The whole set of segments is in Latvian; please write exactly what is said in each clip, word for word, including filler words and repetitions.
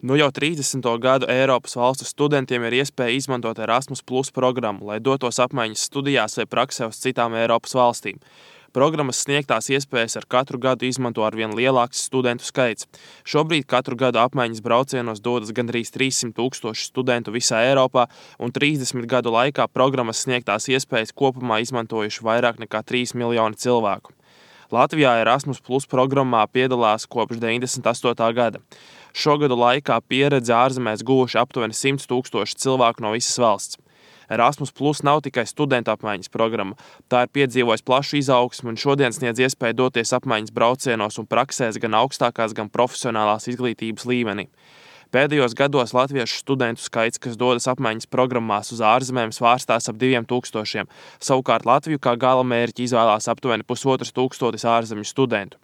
Nu jau trīsdesmito gadu Eiropas valstu studentiem ir iespēja izmantot Erasmus Plus programmu, lai dotos apmaiņas studijās vai praksē uz citām Eiropas valstīm. Programmas sniegtās iespējas ar katru gadu izmanto arvien lielāks studentu skaits. Šobrīd katru gadu apmaiņas braucienos dodas gandrīz trīssimt tūkstoši studentu visā Eiropā, un trīsdesmit gadu laikā programmas sniegtās iespējas kopumā izmantojuši vairāk nekā trīs miljoni cilvēku. Latvijā Erasmus Plus programmā piedalās kopš deviņdesmit astotā gada. Šogadu laikā pieredzi ārzemēs guvuši aptuveni simts tūkstoši cilvēku no visas valsts. Erasmus Plus nav tikai studentu apmaiņas programma. Tā ir piedzīvojis plašu izaugsmu un šodien sniedz iespēju doties apmaiņas braucienos un praksēs gan augstākās, gan profesionālās izglītības līmenī. Pēdējos gados latviešu studentu skaits, kas dodas apmaiņas programmās uz ārzemēm, svārstās ap diviem tūkstošiem. Savukārt Latviju kā gala mērķi izvēlās aptuveni pusotras tūkstotis ārzemju studentu.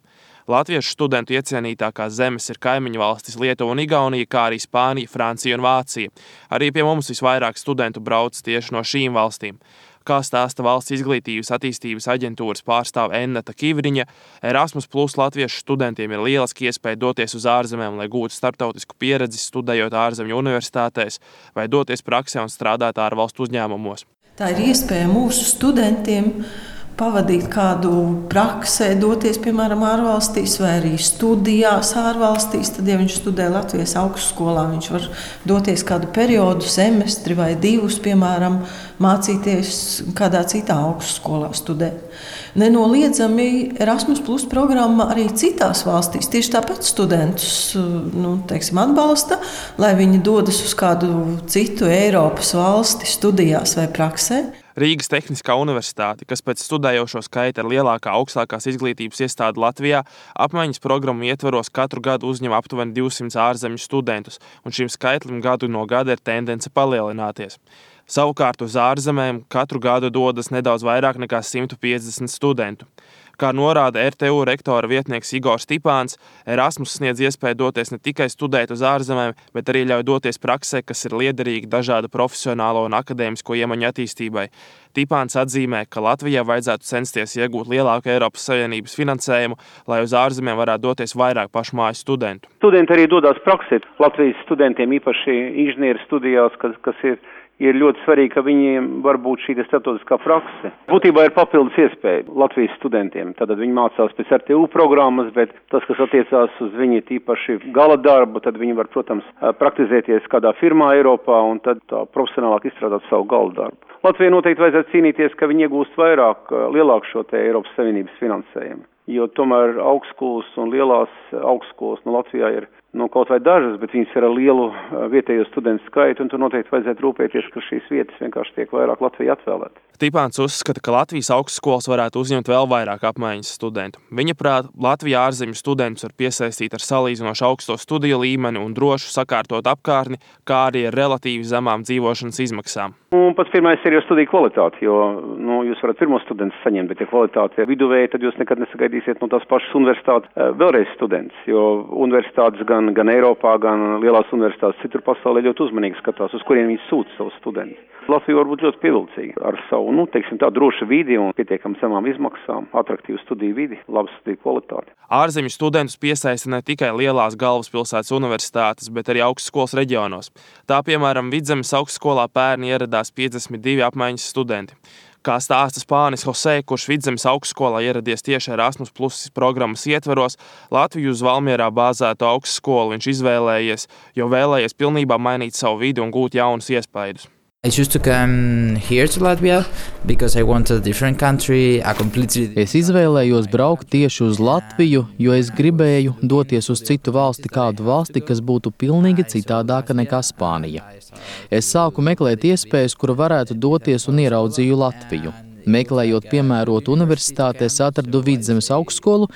Latviešu studentu iecienītākās zemes ir kaimiņu valstis Lietuva un Igaunija, kā arī Spānija, Francija un Vācija. Arī pie mums visvairāk studentu brauc tieši no šīm valstīm. Kā stāsta Valsts izglītības attīstības aģentūras pārstāve Enneta Kivriņa, Erasmus Plus latviešu studentiem ir lieliski iespēja doties uz ārzemēm, lai gūtu starptautisku pieredzi, studējot ārzemju universitātēs vai doties praksē un strādāt ārvalstu uzņēmumos. Tā ir iespēja mūsu studentiem pavadīt kādu praksē, doties, piemēram, ārvalstīs vai arī studijās ārvalstīs. Tad, ja viņš studē Latvijas augstskolā, viņš var doties kādu periodu, semestri vai divus, piemēram, mācīties kādā citā augstskolā studēt. Nenoliedzami Erasmus Plus programma arī citās valstīs tieši tāpat studentus nu, teiksim, atbalsta, lai viņi dodas uz kādu citu Eiropas valsti studijās vai praksē. Rīgas Tehniskā universitāte, kas pēc studējošo skaita ir lielākā augstākās izglītības iestāde Latvijā, apmaiņas programmu ietvaros katru gadu uzņem aptuveni divsimt ārzemju studentus, un šim skaitlim gadu no gada ir tendence palielināties. Savukārt uz ārzemēm katru gadu dodas nedaudz vairāk nekā simt piecdesmit studentu. Kā norāda er te u rektora vietnieks Igors Tipāns, Erasmus sniedz iespēju doties ne tikai studēt uz ārzemēm, bet arī ļauj doties praksē, kas ir liederīga dažādu profesionālo un akadēmisko iemaņu attīstībai. Tipāns atzīmē, ka Latvijai vajadzētu censties iegūt lielāku Eiropas Savienības finansējumu, lai uz ārzemēm varētu doties vairāk pašmāju studentu. Studenti arī dodas praksē. Latvijas studentiem īpaši inženieru studijās, kas, kas ir ir ļoti svarīgi, ka viņiem var būt šī starptautiskā prakse. Būtībā ir papildus iespēja Latvijas studentiem. Tad viņi mācās pēc er te u programmas, bet tas, kas attiecās uz viņi tīpaši gala darbu, tad viņi var, protams, praktizēties kādā firmā Eiropā un tad tā profesionālāk izstrādāt savu gala darbu. Latvijai noteikti vajadzētu cīnīties, ka viņi iegūst vairāk, lielāku šo te Eiropas Savienības finansējumu. Jo tomēr augstskolas un lielās augstskolas no Latvijā ir nu, kaut vai dažas, bet viņas ir ar lielu vietējo studentu skaitu, un tur noteikti vajadzētu rūpēties, ka šīs vietas vienkārši tiek vairāk Latvijā atvēlēt. Tipāns uzskata, ka Latvijas augstskolas varētu uzņemt vēl vairāk apmaiņas studentu. Viņa prāt, Latvijā ārzemju studentus var piesaistīt ar salīdzinoši augsto studiju līmeni un drošu sakārtot apkārtni, kā arī ar relatīvi zemām dzīvošanas izmaksām. Un pats pirmais ir jau studiju kvalitāte, jo nu, jūs varat pirmo studentus saņemt, bet ja kvalitāte ir viduvēja, tad jūs nekad nesagaidīsiet no tās pašas universitātes vēlreiz students, jo universitātes gan, gan Eiropā, gan lielās universitātes citur pasaulē ļoti uzmanīgi skatās, uz kuriem viņi sūta savus studentus. Latvija var būt ļoti pievilcīga ar savu, nu, teiksim, tā droša vidi un pietiekam zemām izmaksām, atraktīvu studiju vidi, labu studiju kvalitāti. Ārzemju studentus piesaista ne tikai lielās galvaspilsētas universitātes, bet arī augstskolas reģionos. Tā, piemēram, Vidzemes augstskolā pērni ieradās piecdesmit divi apmaiņas studenti. Kā stāsta Spānis Jose, kurš Vidzemes augstskolā ieradies tieši Erasmus Plus programmas ietvaros, Latviju uz Valmierā bāzētu augstskolu viņš izvēlējies, jo vēlējies pilnībā mainīt savu vidi un gūt jaunus iespaidus. I choose to come here to Latvia because I want a different country, a completely... Es izvēlējos braukt tieši uz Latviju, jo es gribēju doties uz citu valsti, kādu valsti, kas būtu pilnīgi citādāka nekā Spānija. Es sāku meklēt iespējas, kura varētu doties un ieraudzīju Latviju. Meklējot piemērotu universitāti, es atradu Vidzemes augstskolu,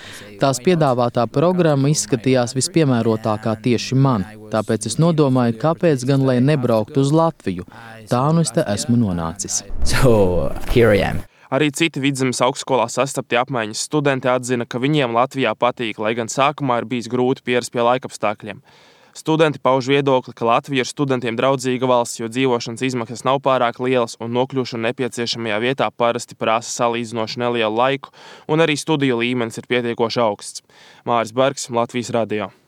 tās piedāvātā programma izskatījās vispiemērotākā tieši man, tāpēc es nodomāju, kāpēc gan lai nebrauktu uz Latviju. Tā nu es te esmu nonācis. So, here I am. Arī citi Vidzemes augstskolā sastapti apmaiņas studenti atzina, ka viņiem Latvijā patīk, lai gan sākumā ir bijis grūti pierast pie laikapstākļiem. Studenti pauž viedokli, ka Latvija ir studentiem draudzīga valsts, jo dzīvošanas izmaksas nav pārāk lielas un nokļūšana nepieciešamajā vietā parasti prasa salīdzinoši nelielu laiku, un arī studiju līmenis ir pietiekoši augsts. Māris Bergs, Latvijas radio.